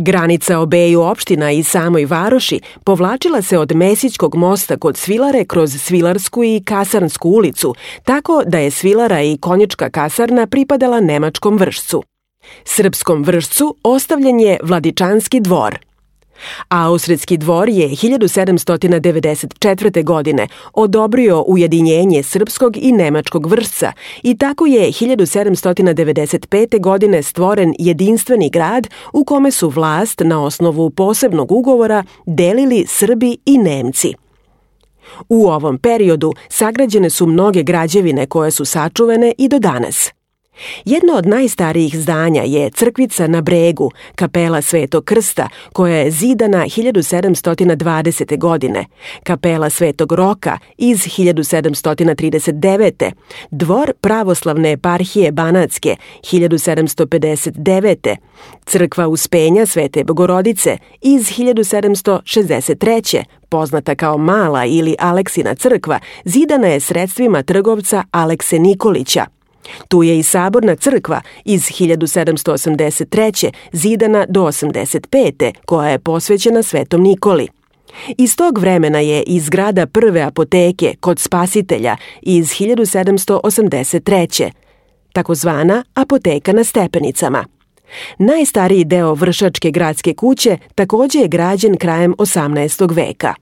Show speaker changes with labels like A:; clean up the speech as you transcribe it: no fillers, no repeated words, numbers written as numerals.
A: Granica obeju opština i samoj varoši povlačila se od Mesićkog mosta kod Svilare kroz Svilarsku i Kasarnsku ulicu, tako da je Svilara i Konjička kasarna pripadala nemačkom Vršcu. Srpskom Vršcu ostavljen je Vladičanski dvor. Austrijski dvor je 1794. godine odobrio ujedinjenje srpskog i nemačkog Vršca i tako je 1795. godine stvoren jedinstveni grad u kome su vlast na osnovu posebnog ugovora delili Srbi i Nemci. U ovom periodu sagrađene su mnoge građevine koje su sačuvane i do danas. Jedno od najstarijih zdanja je crkvica na Bregu, kapela Svetog Krsta, koja je zidana 1720. godine, kapela Svetog Roka iz 1739. Dvor pravoslavne eparhije Banatske 1759. Crkva Uspenja Svete Bogorodice iz 1763. poznata kao Mala ili Aleksina crkva, zidana je sredstvima trgovca Alekse Nikolića. Tu je i Saborna crkva iz 1783. zidana do 85. koja je posvećena Svetom Nikoli. Iz tog vremena je i zgrada prve apoteke kod Spasitelja iz 1783. takozvana apoteka na Stepenicama. Najstariji deo Vršačke gradske kuće takođe je građen krajem 18. veka.